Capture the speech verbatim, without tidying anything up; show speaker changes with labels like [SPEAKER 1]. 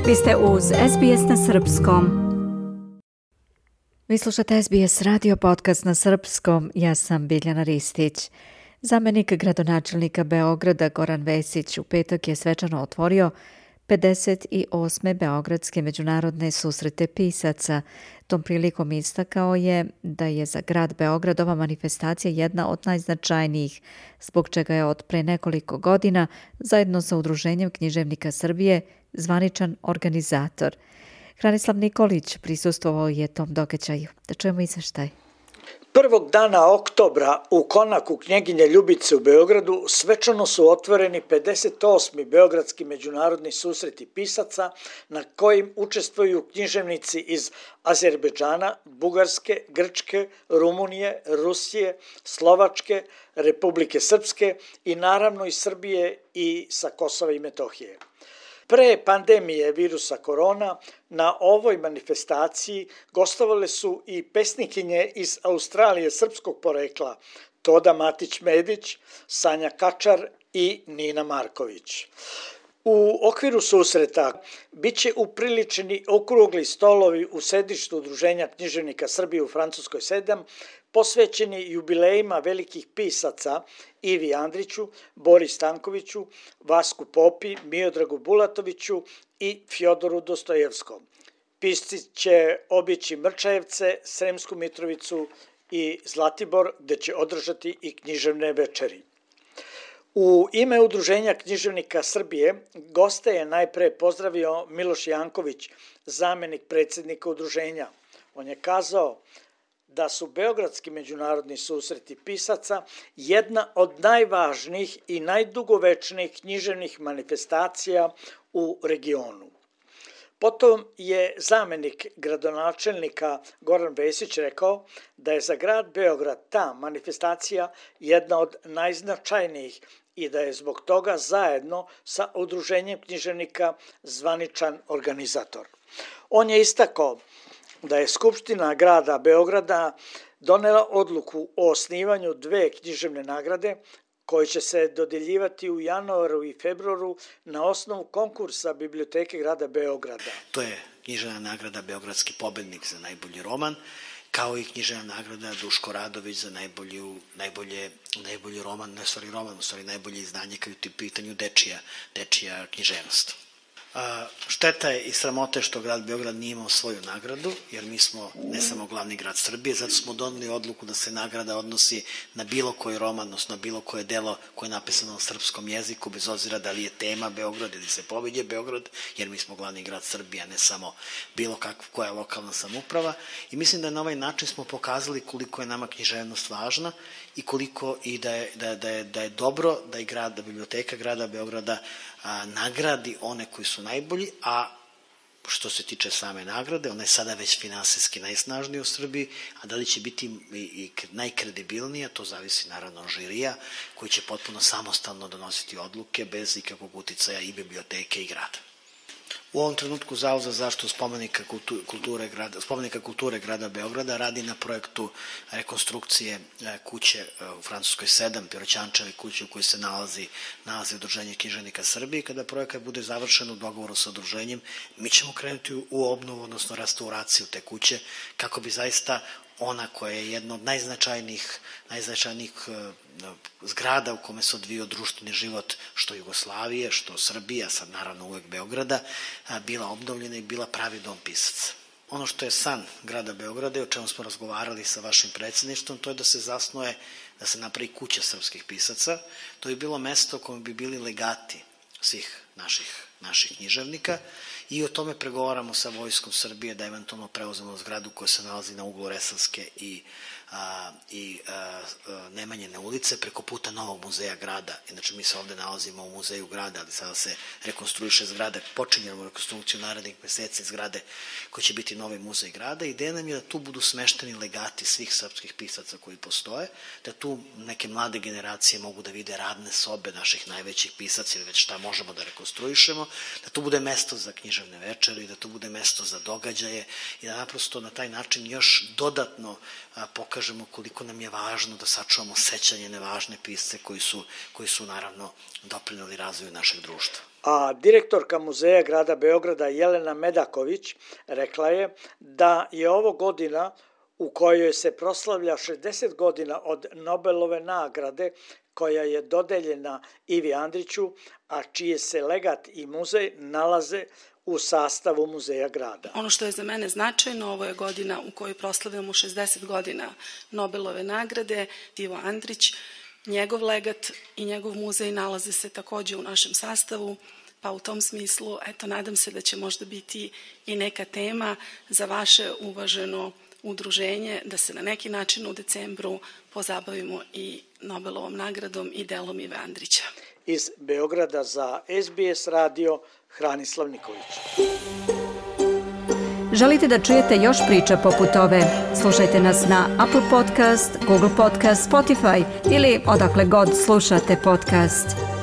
[SPEAKER 1] Vi ste uz S B S na srpskom. Vi slušate S B S radio podcast na srpskom. Ja sam Biljana Ristić. Zamenik gradonačelnika Beograda Goran Vesić u petak je svečano otvorio pedeset osme Beogradske međunarodne susrete pisaca. Tom prilikom istakao je da je za grad Beograd ova manifestacija jedna od najznačajnijih, zbog čega je od pre nekoliko godina zajedno sa Udruženjem književnika Srbije zvaničan organizator. Hranislav Nikolić prisustvovao je tom događaju. Da čujemo izveštaj.
[SPEAKER 2] Prvog dana oktobra u konaku Knjeginje Ljubice u Beogradu svečano su otvoreni pedeset osmi Beogradski međunarodni susreti pisaca na kojim učestvuju književnici iz Azerbejdžana, Bugarske, Grčke, Rumunije, Rusije, Slovačke, Republike Srpske i naravno iz Srbije i sa Kosova i Metohije. Pre pandemije virusa korona na ovoj manifestaciji gostovale su i pesnikinje iz Australije srpskog porekla Toda Matić-Medić, Sanja Kačar i Nina Marković. U okviru susreta biće upriličeni okrugli stolovi u sedištu Udruženja književnika Srbije u Francuskoj sedam, posvećeni jubilejima velikih pisaca Ivi Andriću, Boris Stankoviću, Vasku Popi, Miodragu Bulatoviću i Fjodoru Dostojevskom. Pisci će obići Mrčajevce, Sremsku Mitrovicu i Zlatibor, gde će održati i književne večeri. U ime Udruženja književnika Srbije goste je najpre pozdravio Miloš Janković, zamenik predsjednika udruženja. On je kazao da su Beogradski međunarodni susreti pisaca jedna od najvažnijih i najdugovečnijih književnih manifestacija u regionu. Potom je zamenik gradonačelnika Goran Vesić rekao da je za grad Beograd ta manifestacija jedna od najznačajnijih i da je zbog toga zajedno sa Udruženjem književnika zvaničan organizator. On je istakao da je Skupština grada Beograda donela odluku o osnivanju dve književne nagrade koje će se dodeljivati u januaru i februaru na osnovu konkursa Biblioteke grada Beograda.
[SPEAKER 3] To je književna nagrada Beogradski pobednik za najbolji roman, kao i književna nagrada Duško Radović za najbolju, najbolje, najbolji roman, ne stvari roman, u stvari najbolje izdanje kad je u pitanju dečija, dečija književnost. A, šteta je i sramote što grad Beograd nije imao svoju nagradu, jer mi smo ne samo glavni grad Srbije, zato smo doneli odluku da se nagrada odnosi na bilo koji roman, odnosno na bilo koje delo koje je napisano na srpskom jeziku, bez obzira da li je tema Beograd ili se pominje Beograd, jer mi smo glavni grad Srbije, a ne samo bilo kakva koja je lokalna samouprava. I mislim da na ovaj način smo pokazali koliko je nama književnost važna i koliko i da je, da, da je, da je dobro da i grad, da Biblioteka grada Beograda a, nagradi one koji su najbolji, a što se tiče same nagrade, ona je sada već finansijski najsnažnija u Srbiji, a da li će biti i, i najkredibilnija, to zavisi naravno od žirija, koji će potpuno samostalno donositi odluke bez ikakvog uticaja i biblioteke i grada. U ovom trenutku Zavod za zaštitu spomenika kulture grada, spomenika kulture grada Beograda radi na projektu rekonstrukcije kuće u Francuskoj sedam, Piroćančeve kuće u kojoj se nalazi, nalazi Udruženje književnika Srbije. Kada projekat bude završen u dogovoru sa udruženjem, mi ćemo krenuti u obnovu, odnosno restauraciju te kuće, kako bi zaista ona koja je jedna od najznačajnijih, najznačajnijih zgrada u kome se odvijao društveni život što Jugoslavije, što Srbija, sad naravno uvek Beograda, bila obnovljena i bila pravi dom pisaca. Ono što je san grada Beograda i o čemu smo razgovarali sa vašim predsjedništvom, to je da se zasnuje, da se napravi kuća srpskih pisaca. To je bilo mesto u kojem bi bili legati svih naših, naših književnika i o tome pregovaramo sa Vojskom Srbije da eventualno preuzemo zgradu koja se nalazi na uglu Resavske i, a, i a, a, Nemanjine ulice preko puta Novog muzeja grada. Inače mi se ovde nalazimo u muzeju grada, ali sada se rekonstruiše zgrada, počinjemo rekonstrukciju narednih meseci zgrade koji će biti novi muzej grada. Ideja nam je da tu budu smešteni legati svih srpskih pisaca koji postoje, da tu neke mlade generacije mogu da vide radne sobe naših najvećih pisaca ili već šta možemo da rekonstruišemo, da tu bude mesto za književne večeri, da to bude mesto za događaje i da naprosto na taj način još dodatno a, pokažemo koliko nam je važno da sačuvamo sećanje na važne pisce koji su, koji su naravno doprineli razvoju našeg društva.
[SPEAKER 2] A direktorka Muzeja grada Beograda Jelena Medaković rekla je da je ovo godina u kojoj se proslavlja šezdeset godina od Nobelove nagrade koja je dodeljena Ivi Andriću, a čije se legat i muzej nalaze u sastavu Muzeja grada.
[SPEAKER 4] Ono što je za mene značajno, ovo je godina u kojoj proslavljamo šezdeset godina Nobelove nagrade. Ivo Andrić, njegov legat i njegov muzej nalaze se takođe u našem sastavu, pa u tom smislu, eto, nadam se da će možda biti i neka tema za vaše uvaženo udruženje, da se na neki način u decembru pozabavimo i Nobelovom nagradom i delom Ive Andrića.
[SPEAKER 2] Iz Beograda za S B S radio, Hranislav Nikolić.
[SPEAKER 5] Želite da čujete još priča poput ove? Slušajte nas na Apple Podcast, Google Podcast, Spotify ili odakle god slušate podcast.